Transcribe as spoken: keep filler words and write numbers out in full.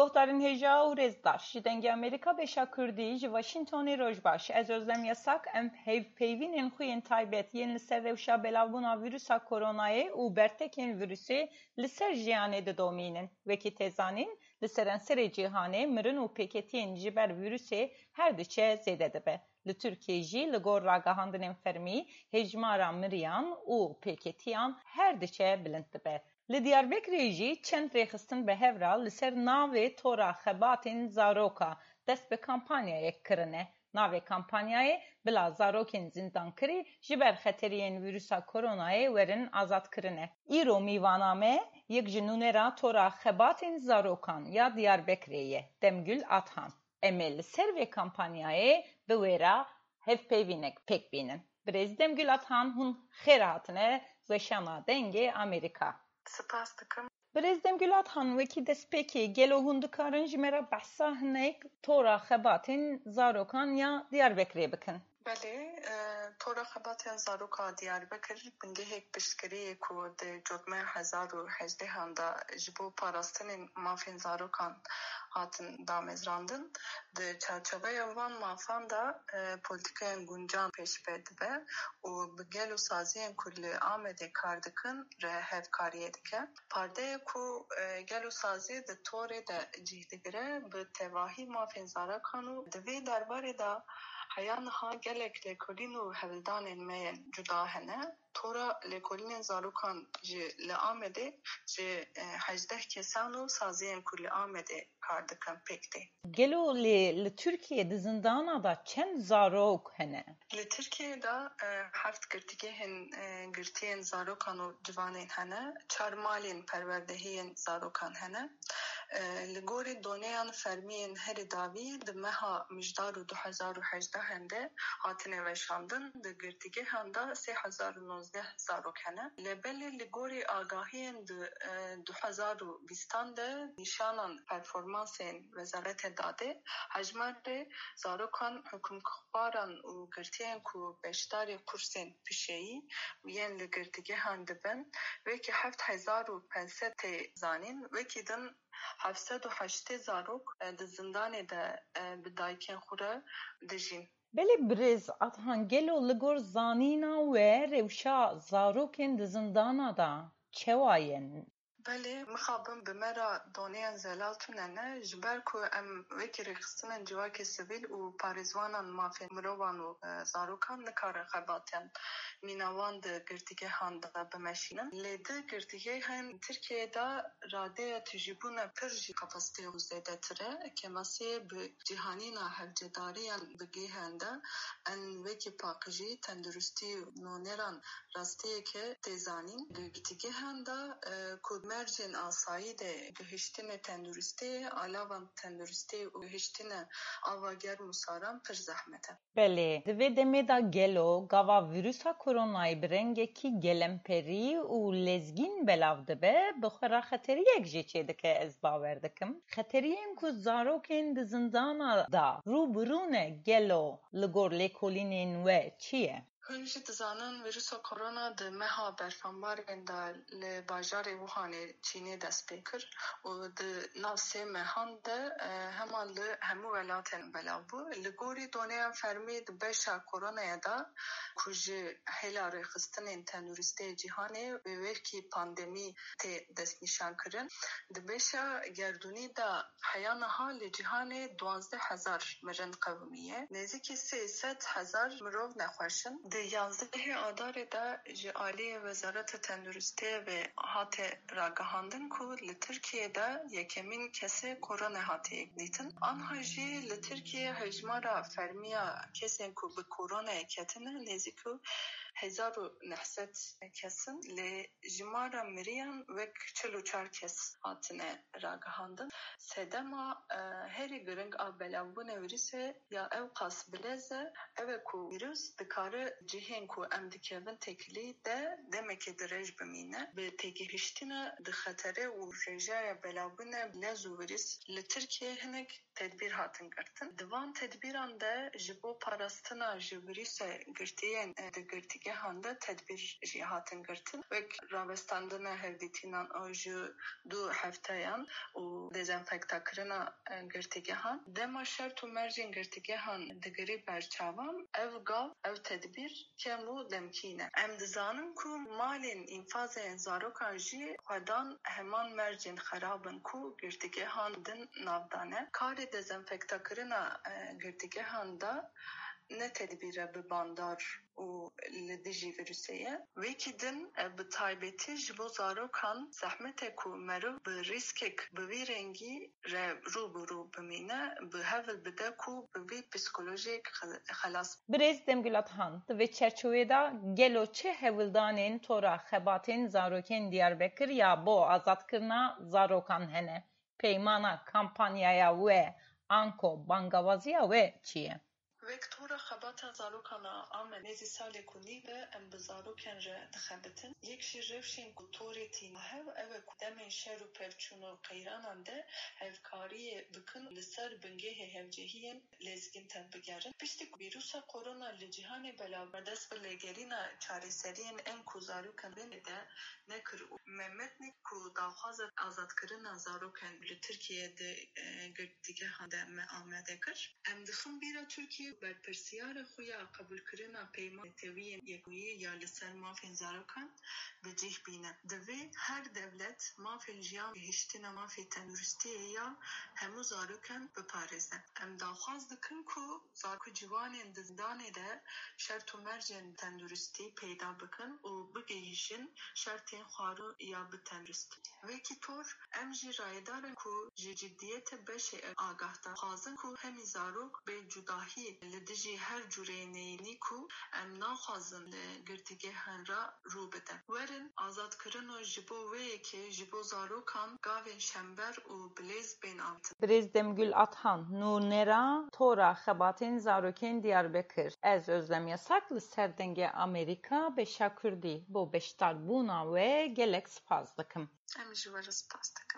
Guhdarên hêja û rêzdar, ji Dengê Amerîka Beşa Kurdî, ji Washingtonê roj baş. Ez Özlem Yasak, em hevpeyvînên xwe yên taybet yên li ser rewşa belavbûna vîrusa koronayê û bertekên vîrusê li ser jiyanê didomînin. Wekî tê zanîn, li seranserê cîhanê mirin û pêketiyên ji ber vîrusê her diçe zêde dibe. Li Tirkiyê jî li gor ragihandinên fermî hêjmara miriyan û pêketiyan her diçe bilind dibe. Li Diyarbekirê jî çend rêxistin bi hev re li ser navê Tora Xebatên Zaroka dest bi kampanyayek kirine. Navê kampanyayê bila zarokên zindankirî ji ber xeteriyên vîrusa koronayê werin azadkirine. Îro mîvana me yek ji nûnera Tora Xebatên Zarokan ya Diyarbekirê ye, Demgül Athan. Em ê li ser vê kampanyayê bi wê re hevpeyvînek pêk bînin. Birêz Demgül Athan, hûn xêr hatine weşana Dengê Amerîka. Spas dikim. Birêz Demgül Athan, wekî destpêkê, gelo hûn dikarin ji me re behsa hinek Tora Xebatên Zarokan ya Diyarbekirê bikin? Belê, e, Tora Xebatên Zaroka Diyarbekir bingehek piştgiriyê ku di cotmeya hezar û hejdehan de ji bo parastinên mafên zarokan hatin damezrandin. Di çarçoveya van mafan de, e, polîtikayên guncan pêşve dibe û bi gel û saziyên ku li Amedê kar dikin re hevkariyê dike. Pardeyê ku, e, gel û sazî di torê de cih digire, bi tevahî mafên zarokan û di vê derbarê de heya niha gelek lêkolîn û hewldanên me yên cuda hene. Tora lêkolînên zarokan ji li Amedê ji, e, hejdeh kesan û saziyên ku li Amedê kar dikin pêk tê. Gelo lê li Tirkiyê di zindana de çend zarok hene? Li Tirkiyê de, e, heft girtîgehên, e, girtiyên zarokan û ciwanên hene, çar malên perwerdehiyên zarokan hene. E, li gorî doneyan fermiyên herî dawî di meha Mijdarû du hezar û hejdeh de hatine weşandin, di girtîgehan de sê hezar û nozdeh zarok hene. Lê belê li gorî agahiyên di, e, du hezar û bîstan de nîşanan performansên Wezareta Dadê, hejmarê zarokan hikûmtxwaran û girtiyên ku beşdarî kursên pişeyî yên li girtîgehan dibin, wekî heft hezar û pênc sed tê zanîn, wekî din heft sed û heştê zarok, e, di zindanê de, e, bi dayikên xwe re dijîn. Belê birêz Athan, gelo li gor zanîna we rewşa zarokên di zindana de çawa ye? Belê, mixabin bi me re doneyan zelal tune ne, ji ber ku em wekî rêxistinên civakê sivîl û parêzwanan mafên mirovan û, e, zarokan nikarin xebatên mîna wan di girtîgehan de bimeşînin. Lê di girtîgehên Tirkiyeyê de radeya tijîbûna pir jî kapasiteyê xwe zêdetir e. Kêmasiyê bi cîhanîna hevcedariyan bi gêhan de, en wekî paqijî, tenduristî û noneran rastiyeke tê zanîn. Girtîgehan de, e, ku mercên asayî de gihiştine tenduristiyê, alavan tenduristiyê û gihiştine ava germ û saran pir zehmet e. Belê, di vê demê de gelo gava vîrusa koronayê bi rengekî gelemperî û lezgîn belav dibe, bi xwe re xeteriyek jî çêdike, ez bawer dikim. Xeteriyên ku zarokên di zindana de rû bi rû ne, gelo li gor lêkolînên we çi ye? Hûn jî dizanin, vîrusa korona di meha berfanbarên de li bajarê Wuhanê Çînê dest pê kir û di nav sê mehan de, e, hema li hemû welatên belav bû. Li gorî doneyan fermî di beşa koronayê de ku ji hêla rêxistinên tenduristiyê cîhanê bi wekî pandemî tê destnîşankirin, di beşa gerdûnî de heya niha li cîhanê duwazdeh hezar mirin qewimiye. Nêzîkî sê sed hezar mirov nexweş in. Di yanzdehê Adarê de ji aliyê Wezareta Tenduristiyê ve hate ragihandin ku li Tirkiyê de yekemîn kesê korona hatiye dîtin. Anha jî li Tirkiyê hejmara fermiya kesên ku bi koronayê ketine nêzîk û hezar û neh sed kes in. Lê jimara miriyan wek çil û çar kes hatine ragihandin. Sedema, e, herî giring a belavbûna vîrusê ya ewqas bilez e, ew e ku vîrus dikare cihên ku em dikevin têkilî de demekê dirêj bimîne. Bi têgihiştina di xetere û rêjeya belavbûna bilez û vîrus li Tirkiyê hinek tedbîr hatin girtin. Di van tedbîran de ji bo parastina ji vîrusa girtiyên, e, di girtî girtîgehan de tedbîr jî hatin girtin. Wek rawestandina hevdîtînan a ji du hefteyan û dezenfektakirina, e, girtîgehan. Dema şert û mercên girtîgehan digirî ber çavan, ev gav, ev tedbîr kem û demkî ne. Em dizanin ku malên înfazên zarokan jî xwedan heman mercên xerab in ku girtîgehan din nav dane. Karê dezenfektakirina, e, girtîgehan de ne tedbîre bi bandar û li dijî vîrusê ye. Wekî din, e, bi taybetî ji bo zarokan zehmet e ku meriv bi rîskek bi vî rengî re rû bi rû bimîne, bi hewl bide ku bi vî psîkolojiyek xe-, xelas. Birêz Demgul Athan, di vê çerçovê de gelo çi hewldanên tora xebatên zarokên Diyarbekir ya bo azadkirina zarokan hene? Peymana kampanyaya we anko bangawaziya we çi ye? Wek tora xebata zarokan a Amed nêzî salek û nîv e em bi zarokên re dixebitin. Yek ji rewşên ku torê tîne hev ew e ku demên şer û pevçûn û qeyranan de hevkariyê bikin, li ser bingehê hevcihiyên lezgîn tevbigerin. Piştî ku vîrusa korona li cîhanê belav bû, dest bi lêgerîna çareseriyên ên ku zarokên bêne de nekir û me metnê ku daxwaza azadkirina zarokên li Tirkiyeyê di, e, girtîgehan de me amade kir. Em dixin bîra Tirkiye berpirsiyara xwe ya qebûlkirina peymanên netewiyên Yekbûyî ya li ser mafên zarokan bi cih bîne. Divê her dewlet mafên jiyan, gihiştina mafê tenduristiyê ya hemû zarokan biparêze. Em daxwaz dikin ku zarok û ciwanên di zindanê de şert û mercên tenduristî peyda bikin û bigihîjin şertên xwarin ya bi tenduristî. Wekî tor, em jî rayedar in ku ji ciddiyetê beşê ev agahda dixwazin ku hemî zarok bê cudahî li dijî her cûreyê neyînî ku em naxwazin li girtîgehan re rû bide. Werin azadkirin û ji bo wê yekê ji bo zarokan gavên şember û bilêz bên avêtin. Birêz Demgul Athan, nûnera tora xebatên zarokên Diyarbekir. Ez Özlem Yasak li ser Dengê Amerîka beşa Kurdî bo beşdarbûna we gelek spas dikim. Em ji we re spas dikin.